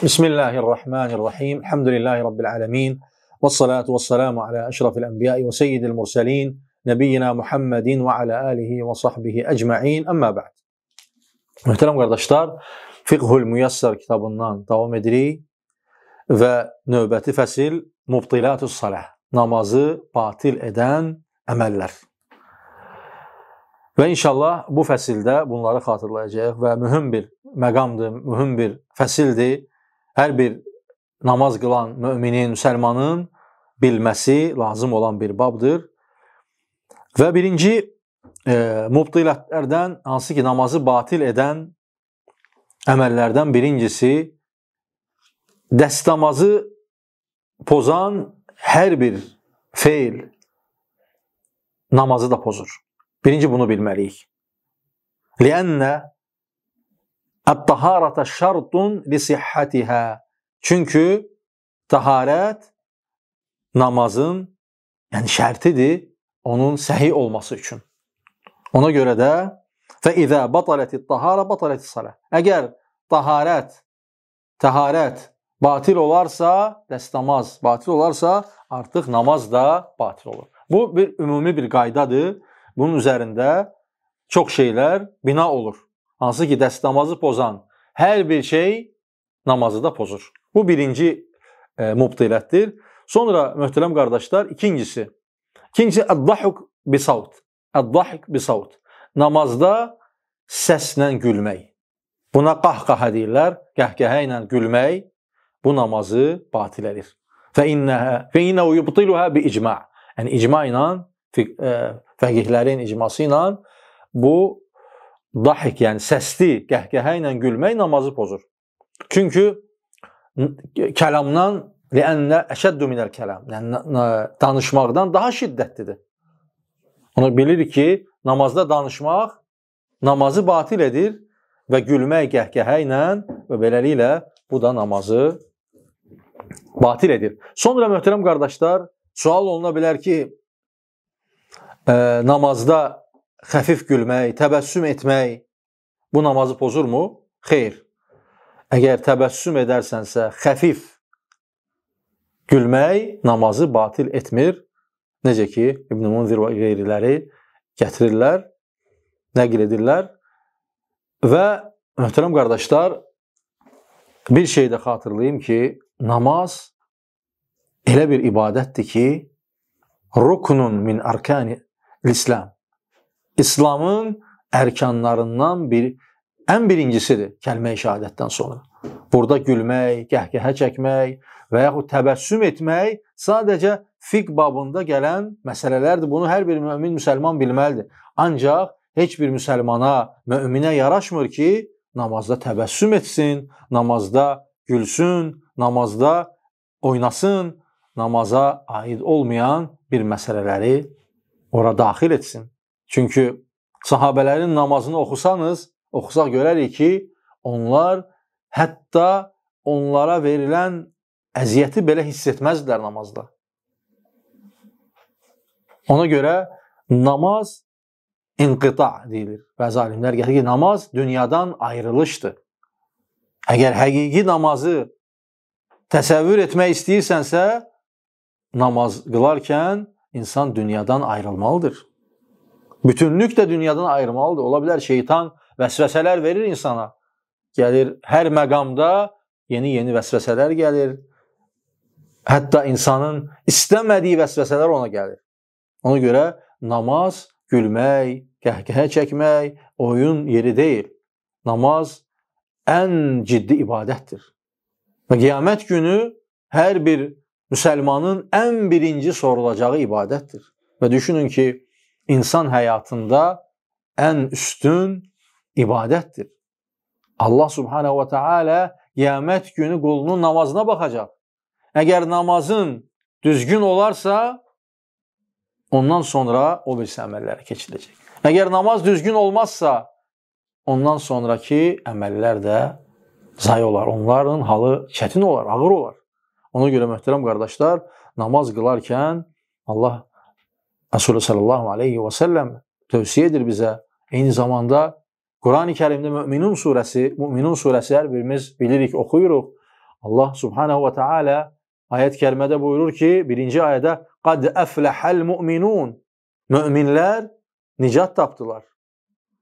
Bismillahirrahmanirrahim. Elhamdülillahi Rabbil alemin. Vessalatu vesselamu ala eşrafil enbiya'i ve seyyidil murselin. Nebiyyina Muhammedin ve ala alihi ve sahbihi ecma'in. Amma ba'd. Muhterem kardeşler, Fiqhul Müyəssər kitabından davam edirik və növbəti fəsil Mubtilatus Salah, namazı batil edən əməllər. Və inşallah bu fəsildə bunları xatırlayacağıq və mühüm bir məqamdır, mühüm bir fəsildir. Hər bir namaz qılan müminin, müsəlmanın bilməsi lazım olan bir babdır. Və birinci mubtilatlərdən, hansı ki namazı batil edən əməllərdən birincisi, dəstəmazı pozan hər bir feil namazı da pozur. Birinci bunu bilməliyik. Liənnə Ət-taharətə şərtun lisihhətihə. Çünki taharət namazın şərtidir, onun səhih olması üçün. Ona görə də فَإِذَا بَطَلَتِ الطَّهَارَ بَطَلَتِ الصَّلَةِ. Əgər təharət batil olarsa, dəstəmaz batil olarsa, artıq namaz da batil olur. Bu bir ümumi bir qaydadır. Bunun üzərində çox şeylər bina olur. Hansı ki dəstəmazı pozan hər bir şey namazı da pozur. Bu birinci mubtilətdir. Sonra möhtərəm qardaşlar, ikincisi əd-dahik bisavt. Əd-dahik bisavt. Namazda səslə gülmək. Buna qahqahə deyirlər. Qəhqəhə ilə gülmək bu namazı batil edir. فَإِنَّهُ يُبْطِلُهَا بِإِجْمَعٍ. Yəni icma ilə, fəqihlərin icması ilə bu dahik, yəni səsli qəhqəhə ilə gülmək namazı pozur. Çünki kəlamdan liənnə əşəddu minəl kəlam, yəni danışmaqdan daha şiddətlidir. Onu bilir ki, namazda danışmaq namazı batil edir və gülmək qəhqəhə ilə və beləliklə bu da namazı batil edir. Sonra möhtərəm qardaşlar, sual oluna bilər ki, namazda xəfif gülmək, təbəssüm etmək bu namazı pozurmu? Xeyr. Əgər təbəssüm edərsənsə, xəfif gülmək namazı batil etmir. Necə ki, İbn-i Munzir və qeyriləri gətirirlər, nəql edirlər. Və möhtərəm qardaşlar, bir şey də xatırlayayım ki, namaz elə bir ibadətdir ki, ruknun min arkani l-İslam. İslamın ərkanlarından ən birincisidir kəlmə-i şəhadətdən sonra. Burada gülmək, qəhqəhə çəkmək və yaxud təbəssüm etmək sadəcə fiqh babında gələn məsələlərdir. Bunu hər bir mümin müsəlman bilməlidir. Ancaq heç bir müsəlmana, müminə yaraşmır ki, namazda təbəssüm etsin, namazda gülsün, namazda oynasın, namaza aid olmayan bir məsələləri ora daxil etsin. Çünki sahabələrin namazını oxusaq görərik ki, onlar hətta onlara verilən əziyyəti belə hiss etməzdilər namazda. Ona görə namaz inqita deyilir. Bəzi alimlər gətirir ki, namaz dünyadan ayrılışdır. Əgər həqiqi namazı təsəvvür etmək istəyirsənsə, namaz qılarkən insan dünyadan ayrılmalıdır. Bütünlük də dünyadan ayrılmalıdır. Ola bilər şeytan vəsvəsələr verir insana. Gəlir, hər məqamda yeni vəsvəsələr gəlir. Hətta insanın istəmədiyi vəsvəsələr ona gəlir. Ona görə namaz gülmək, qəhqəhə çəkmək, oyun yeri deyil. Namaz ən ciddi ibadətdir. Və qiyamət günü hər bir müsəlmanın ən birinci sorulacağı ibadətdir. Və düşünün ki, İnsan həyatında ən üstün ibadətdir. Allah subhanehu və teala qiyamət günü qulunun namazına baxacaq. Əgər namazın düzgün olarsa, ondan sonra o birisi əməllərə keçiləcək. Əgər namaz düzgün olmazsa, ondan sonraki əməllər də zayi olar. Onların halı çətin olar, ağır olar. Ona görə möhtərəm qardaşlar, namaz qılarkən Allah Resulü sallallahu aleyhi və səlləm tövsiyə edir bizə. Eyni zamanda Quran-ı Kərimdə Müminun surəsi hər birimiz bilirik, oxuyuruq. Allah subhanehu ve teala ayet-i kerimede buyurur ki, birinci ayette قَدْ أَفْلَحَ الْمُؤْمِنُونَ Müminler nicat taptılar.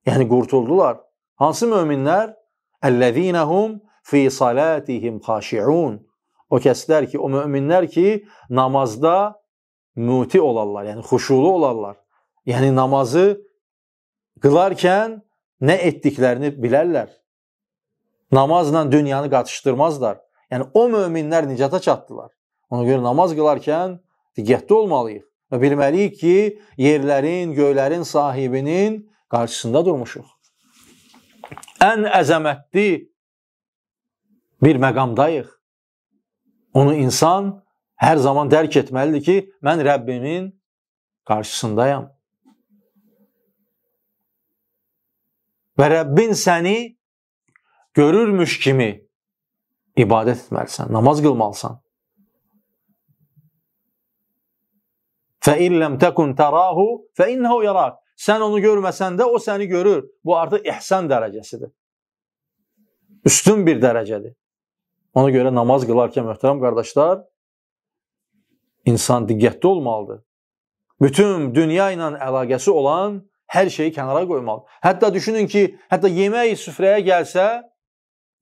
Yani kurtuldular. Hansı müminler? اَلَّذ۪ينَ هُمْ ف۪ي صَلَاتِهِمْ خَاشِعُونَ O kəslər ki, o müminlər ki, namazda muti olarlar, yani huşulu olarlar. Yani namazı kılarken ne ettiklerini bilərlər. Namazla dünyanı qatışdırmazlar. Yani o müminlər nicata çatdılar. Ona göre namaz kılarken diqqətli olmalıyıq və bilməliyik ki, yerlərin, göylərin sahibinin qarşısında durmuşuq. Ən əzəmətli bir məqamdayıq. Onu insan hər zaman dərk etməlidir ki, mən Rəbbimin qarşısındayam. Və Rəbbin səni görürmüş kimi ibadət etməlisən, namaz qılmalısan. فَاِنْ لَمْ تَكُنْ تَرَاهُ فَاِنَّهُ يَرَاكَ Sən onu görməsən də o səni görür. Bu artıq ihsan dərəcəsidir. Üstün bir dərəcədir. Ona görə namaz qılarkən möhtərəm qardaşlar, insan diqqətli olmalıdır. Bütün dünya ilə əlaqəsi olan hər şeyi kənara qoymalı. Hətta düşünün ki, hətta yemək süfrəyə gəlsə,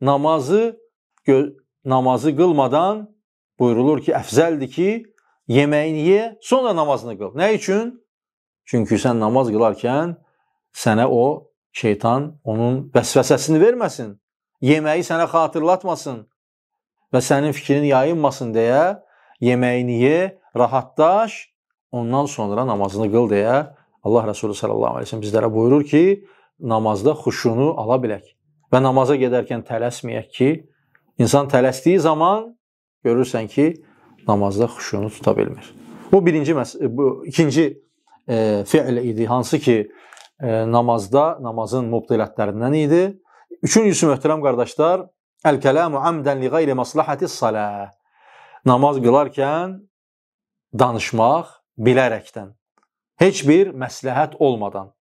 namazı qılmadan buyurulur ki, əfzəldir ki, yeməyini ye, sonra namazını qıl. Nə üçün? Çünki sən namaz qılarkən sənə o şeytan onun vəsvəsəsini verməsin, yeməyi sənə xatırlatmasın və sənin fikrin yayınmasın deyə yeməyini ye, rahatlaş, ondan sonra namazını qıl deyə Allah Resulü sallallahu aleyhi ve sellem bizlərə buyurur ki, namazda xuşunu ala bilək və namaza gedərkən tələsməyək ki, insan tələsdiyi zaman görürsən ki, namazda xuşunu tuta bilmir. Bu ikinci fiil idi, hansı ki namazın mubtilətlərindən idi. Üçüncüsü möhtərəm qardaşlar, el-kelamu amdən li gayri maslahatis salah. Namaz qılarkən danışmaq bilərəkdən, heç bir məsləhət olmadan.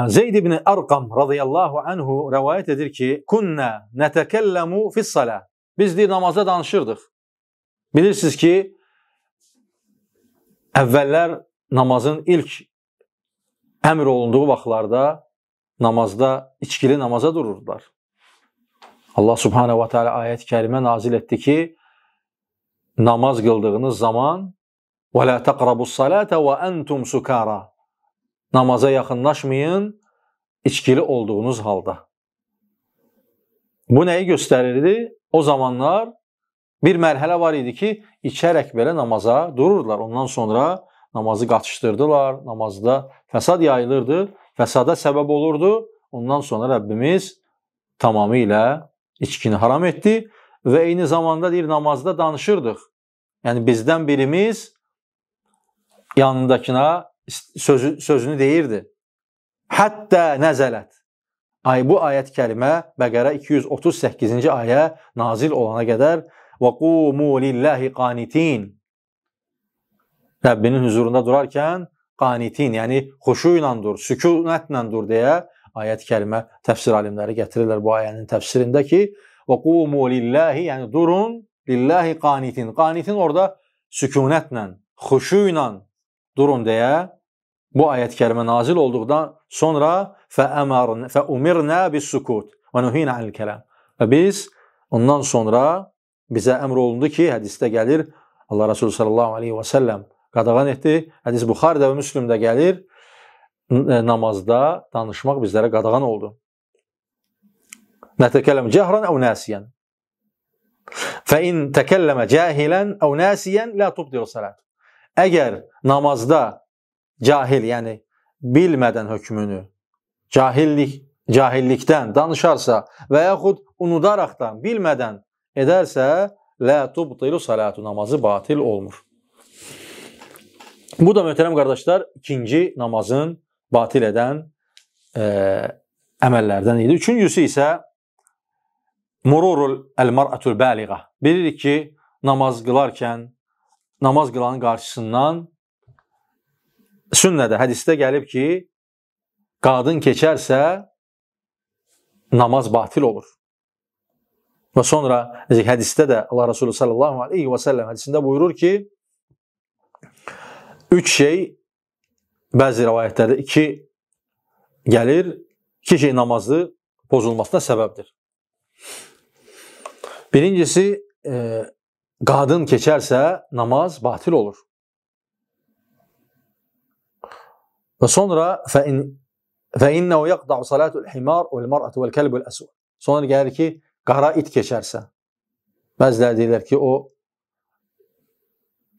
Zeyd ibn Arqam radıyallahu anhu rəvayət edir ki, kunna netəkəlləmu fis-salah. Biz deyir, namazda danışırdıq. Bilirsiniz ki, əvvəllər namazın ilk əmr olunduğu vaxtlarda namazda, içkili namaza dururdular. Allah subhanehu wa ta'ala ayət-i kərimə nazil etdi ki, namaz qıldığınız zaman وَلَا تَقْرَبُوا الصَّلَاةَ وَأَنْتُمْ سُكَارًا Namaza yaxınlaşmayın, içkili olduğunuz halda. Bu nəyi göstərirdi? O zamanlar bir mərhələ var idi ki, içərək belə namaza dururdular. Ondan sonra namazı qaçışdırdılar, namazda fəsad yayılırdı, fəsada səbəb olurdu. Ondan sonra Rəbbimiz tamamilə içkini haram etdi və eyni zamanda deyir, namazda danışırdıq. Yəni bizdən birimiz yanındakına sözünü deyirdi. Hətta nəzələt. Bu ayət kəlimə Bəqərə 238-ci ayə nazil olana qədər وَقُومُوا لِلَّهِ قَانِتِينَ Rəbbinin huzurunda durarkən qanitin, yəni xuşu ilə dur, sükunətlə dur deyə ayət kəlimə təfsir alimləri gətirirlər bu ayənin təfsirində ki وَقُومُوا لِلَّهِ yəni durun, lillahi qanitin. Qanitin orada sükunətlə, xuşu ilə durun deyə bu ayət kərimə nazil olduqdan sonra فَأُمِرْنَا بِالسُّكُوتِ وَنُهِينَ عَنِ الْكَلَامِ Və biz ondan sonra bizə əmr olundu ki, hədisdə gəlir, Allah Resulü sallallahu aleyhi və səlləm qadağan etdi, hədis Buxaridə və Müslümdə gəlir, namazda danışmaq bizlərə qadağan oldu. Nətəkələm cəhrən əv nəsiyən فَإِنْ تَكَلَّمَ جَاهِلًا əv nəsiyən لَا تُبْدِرُ salat Əgər namazda cahil, yəni bilmədən hökmünü, cahillikdən danışarsa və yaxud unudaraqdan, bilmədən edərsə, lə tubtilu salatu, namazı batil olmur. Bu da möhtərəm qardaşlar, ikinci namazın batil edən əməllərdən idi. Üçüncüsü isə mururul el-mar'atul bəliğə. Bilirik ki, namaz qılarkən, namaz qılanın qarşısından sünnədə, hədisdə gəlib ki, qadın keçərsə, namaz batil olur. Və sonra hədisdə də Allah Resulü sallallahu aleyhi və səlləm hədisində buyurur ki, 3 şey, bəzi rivayətlərdə 2 gəlir, 2 şey namazı pozulmasına səbəbdir. Birincisi, qadın keçərsə namaz batil olur. Və sonra فَإِنَّهُ يَقْضَعُ صَلَاتُ الْحِمَارِ وَالْمَرْأَةُ وَالْكَلْبُ الْأَسْوَدُ. Sonra gəlir ki, qara it keçərsə. Bəziləri deyirlər ki, o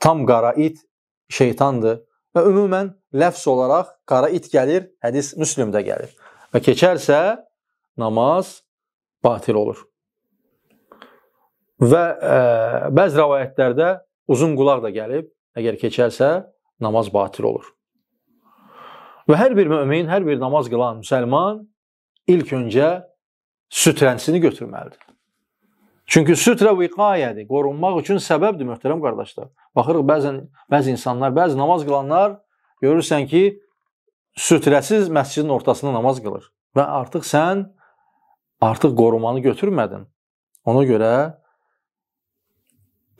tam qara it şeytandır. Və ümumən ləfz olaraq qara it gəlir, hədis Müslimdə gəlir. Və keçərsə namaz batil olur. Və bəzi rivayətlərdə uzun qulaq da gəlib, əgər keçərsə namaz batil olur. Və hər bir mömin, hər bir namaz qılan müsəlman ilk öncə sütrənsini götürməlidir. Çünki sütrə viqayədir, qorunmaq üçün səbəbdir, möhtərəm qardaşlar. Baxırıq, bəzi insanlar, bəzi namaz qılanlar görürsən ki, sütrəsiz məscidin ortasında namaz qılır. Və artıq sən qorumanı götürmədin. Ona görə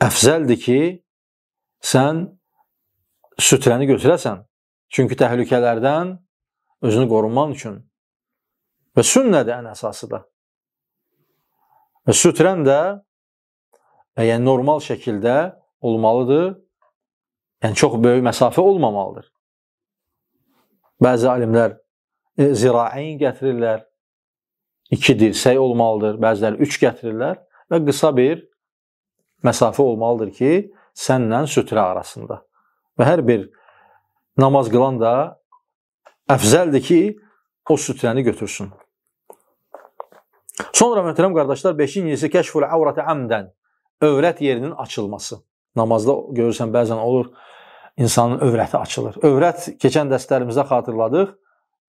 əfzəldir ki, sən sütrəni götürəsən. Çünki təhlükələrdən özünü qorunmaq üçün. Və sünnədir ən əsası da. Və sütrən də yəni normal şəkildə olmalıdır. Yəni çox böyük məsafə olmamalıdır. Bəzi alimlər ziraəyn gətirirlər. 2 dirsək olmalıdır. Bəziləri 3 gətirirlər. Və qısa bir məsafə olmalıdır ki, sənlə sütrə arasında. Və hər bir namaz qılan da əfzəldir ki, o sütrəni götürsün. Sonra möhtərəm qardaşlar, 5-incisi kəşful əvrəti əmdən, övrət yerinin açılması. Namazda görürsən, bəzən olur, insanın övrəti açılır. Övrət, keçən dərslərimizdə xatırladıq,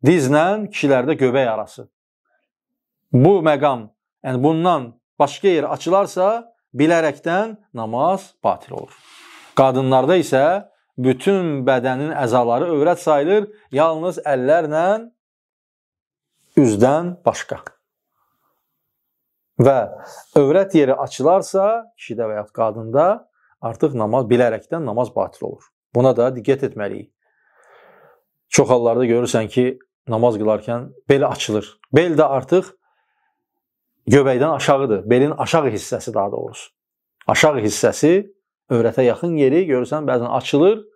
dizlə kişilərdə göbək arası. Bu məqam, yəni bundan başqa yer açılarsa, bilərəkdən namaz batil olur. Qadınlarda isə bütün bədənin əzaları övrət sayılır, yalnız əllərlə üzdən başqa. Və övrət yeri açılarsa, kişidə və ya qadında artıq namaz, bilərəkdən namaz batil olur. Buna da diqqət etməliyik. Çox hallarda görürsən ki, namaz qılarkən bel açılır. Bel də artıq göbəkdən aşağıdır. Belin aşağı hissəsi daha doğrusu. Aşağı hissəsi övrətə yaxın yeri görürsən bəzən açılır.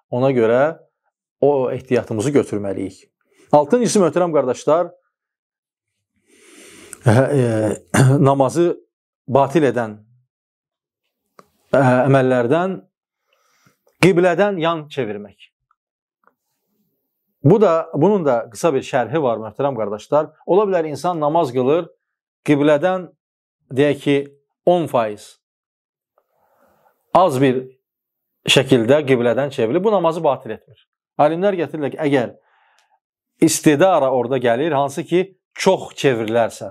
Ona görə o ehtiyatımızı götürməliyik. 6-cısı möhtərəm qardaşlar, namazı batil edən əməllərdən qiblədən yan çevirmək. Bunun da qısa bir şərhi var möhtərəm qardaşlar. Ola bilər insan namaz qılır, qiblədən deyək ki 10% az bir şəkildə qiblədən çevrilir. Bu namazı batil etmir. Alimlər gətirirlər ki, əgər istidara orada gəlir, hansı ki çox çevrilərsə,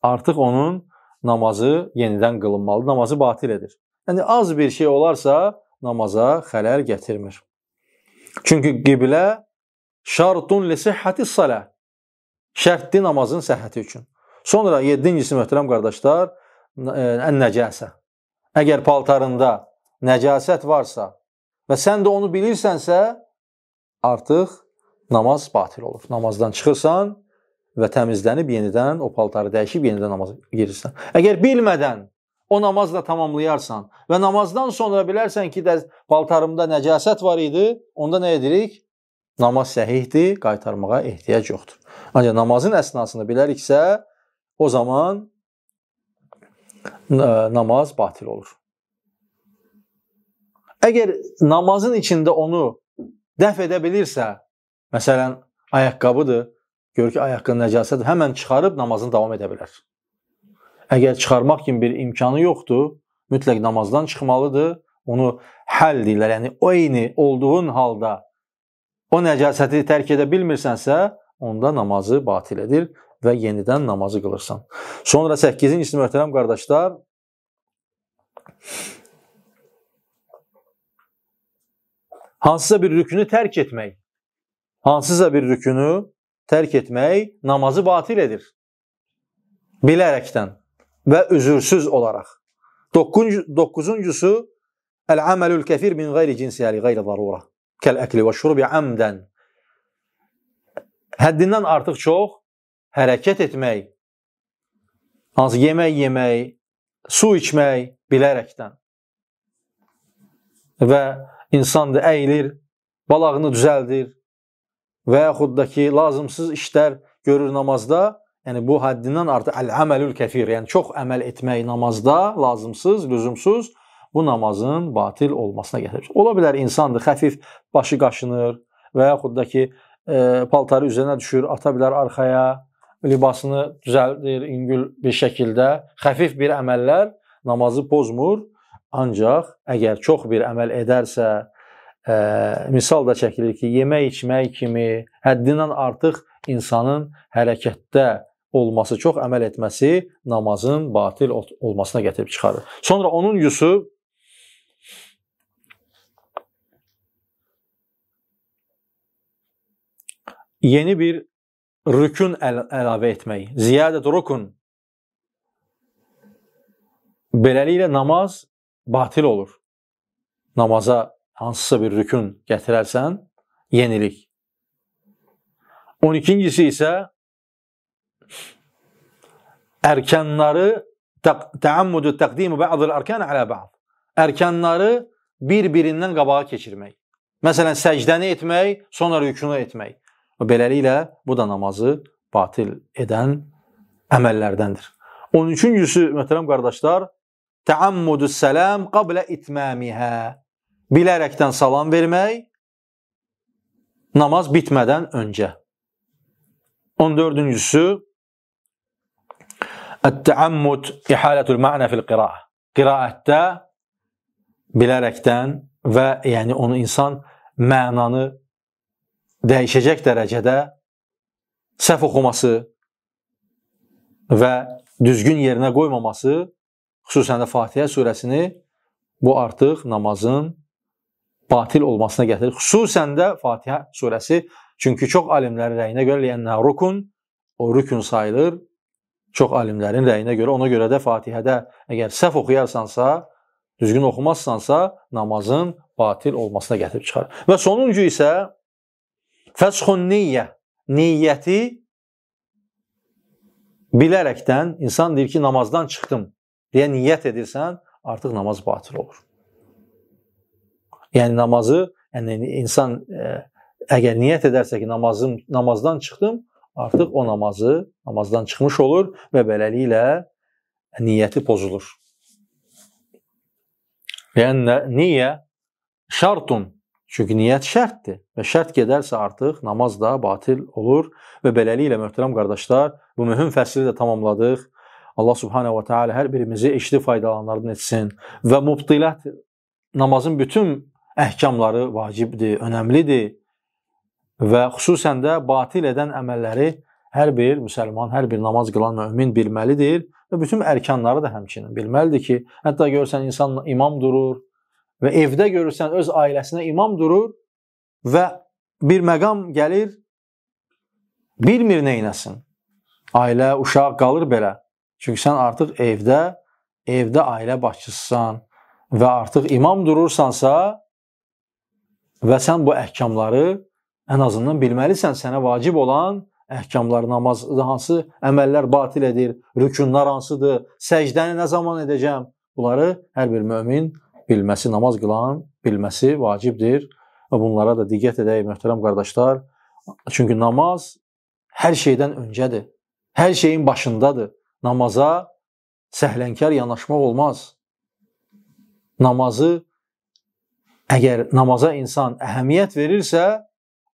artıq onun namazı yenidən qılınmalı, namazı batil edir. Yəni az bir şey olarsa namaza xələl gətirmir. Çünki qiblə şartun li sihhati salah. Şərtdir namazın səhhəti üçün. Sonra 7-cisi möhtərəm qardaşlar, ən-nəcəsə. Əgər paltarında nəcasət varsa və sən də onu bilirsənsə, artıq namaz batil olur. Namazdan çıxırsan və təmizlənib yenidən o paltarı dəyişib yenidən namaza girirsən. Əgər bilmədən o namazla tamamlayarsan və namazdan sonra bilərsən ki, paltarımda nəcasət var idi, onda nə edirik? Namaz səhihdir, qaytarmağa ehtiyac yoxdur. Ancaq namazın əsnasını biləriksə, o zaman namaz batil olur. Əgər namazın içində onu dəf edə bilirsə, məsələn, ayaqqabıdır, gör ki, ayaqqabı nəcasətdir, həmən çıxarıb namazını davam edə bilər. Əgər çıxarmaq kimi bir imkanı yoxdur, mütləq namazdan çıxmalıdır, onu həll deyirlər, yəni o eyni olduğun halda o nəcasəti tərk edə bilmirsənsə, onda namazı batil edir və yenidən namazı qılırsan. Sonra 8-ci möhtərəm qardaşlar, hansısa bir rükünü tərk etmək. Hansısa bir rükünü tərk etmək namazı batil edir. Bilərəkdən və üzürsüz olaraq. Doqquzuncusu, əl-əməlül kəfir min qeyri cinsiyyəli qeyri zarura. Kəl-əkli və şurubi əmdən. Həddindən artıq çox hərəkət etmək, hansı yemək yemək, su içmək bilərəkdən. Və insan da əyilir, balağını düzəldir və yaxud da ki, lazımsız işlər görür namazda. Yəni, bu həddindən artıq əl-əməlül kəfir, yəni çox əməl etmək namazda lazımsız, lüzumsuz, bu namazın batil olmasına gətirir. Ola bilər insandır, xəfif başı qaşınır və yaxud da ki, paltarı üzərinə düşür, ata bilər arxaya, libasını düzəldir, yüngül bir şəkildə. Xəfif bir əməllər namazı pozmur, ancaq əgər çox bir əməl edərsə, misal da çəkilir ki, yemək içmək kimi həddindən artıq insanın hərəkətdə olması, çox əməl etməsi namazın batil olmasına gətirib çıxarır. Sonra 10-uncusu yeni bir rükün əlavə etmək. Ziyadət rükün. Beləliklə namaz batil olur. Namaza hansısa bir rükün gətirərsən, yenilik. 12-incisi isə ərkanları təammudu təqdimu bə'dil ərkan alə bə'd. Ərkanları bir-birindən qabağa keçirmək. Məsələn, səcdəni etmək, sonra rükunu etmək. Beləliklə, bu da namazı batil edən əməllərdəndir. 13-cüsü, möhtərəm qardaşlar, təammudu səlam qablə itmamihə. Bilərəkdən salam vermək, namaz bitmədən öncə. 14-cüsü, ət-təammud ihalətul mə'nə fil qiraə. Qiraətdə bilərəkdən və yəni onu insan mənanı dəyişəcək dərəcədə səhv oxuması və düzgün yerinə qoymaması, xüsusən də Fatihə surəsini, bu artıq namazın batil olmasına gətirir. Xüsusən də Fatihə surəsi, çünki çox alimlərin rəyinə görə liyənnə rukun, o rükün sayılır, çox alimlərin rəyinə görə, ona görə də Fatihədə əgər səhv oxuyarsansa, düzgün oxumazsansa, namazın batil olmasına gətirib çıxar. Və sonuncu isə fəshun niyyə, niyyəti bilərəkdən insan deyir ki, namazdan çıxdım deyə niyyət edirsən, artıq namaz batil olur. Yəni namazı, yəni insan əgər niyyət edərsə ki, namazdan çıxdım, artıq o namazdan çıxmış olur və beləliklə niyyəti pozulur. Yəni niyyə şartun, çünki niyyət şərtdir və şərt gedərsə artıq namaz da batil olur və beləliklə möhtərəm qardaşlar, bu mühüm fəsli də tamamladıq. Allah subhanehu wa ta'ala hər birimizi eşli faydalanlardan etsin və mubtilət, namazın bütün əhkamları vacibdir, önəmlidir və xüsusən də batil edən əməlləri hər bir müsəlman, hər bir namaz qılan mümin bilməlidir və bütün ərkanları da həmçinin bilməlidir ki, hətta görürsən insan imam durur və evdə görürsən öz ailəsinə imam durur və bir məqam gəlir, bilmir neynəsin. Ailə, uşaq qalır belə. Çünki sən artıq evdə ailə başçısısan və artıq imam durursansa və sən bu əhkamları ən azından bilməlisən, sənə vacib olan əhkamlar, namazda hansı əməllər batil edir, rükunlar hansıdır, səcdəni nə zaman edəcəm, bunları hər bir mömin bilməsi, namaz qılan bilməsi vacibdir və bunlara da diqqət edək, möhtərəm qardaşlar. Çünki namaz hər şeydən öncədir, hər şeyin başındadır. Namaza səhlənkar yanaşmaq olmaz. Əgər namaza insan əhəmiyyət verirsə,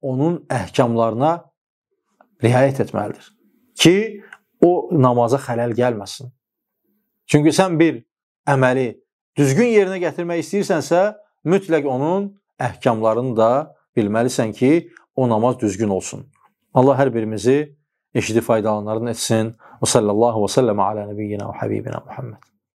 onun əhkamlarına riayət etməlidir ki, o namaza xələl gəlməsin. Çünki sən bir əməli düzgün yerinə gətirmək istəyirsənsə, mütləq onun əhkamlarını da bilməlisən ki, o namaz düzgün olsun. Allah hər birimizi eşidib faydalanlarını etsin. Və sallallahu və səlləmə alə nəbiyyina və həbibina Muhammed.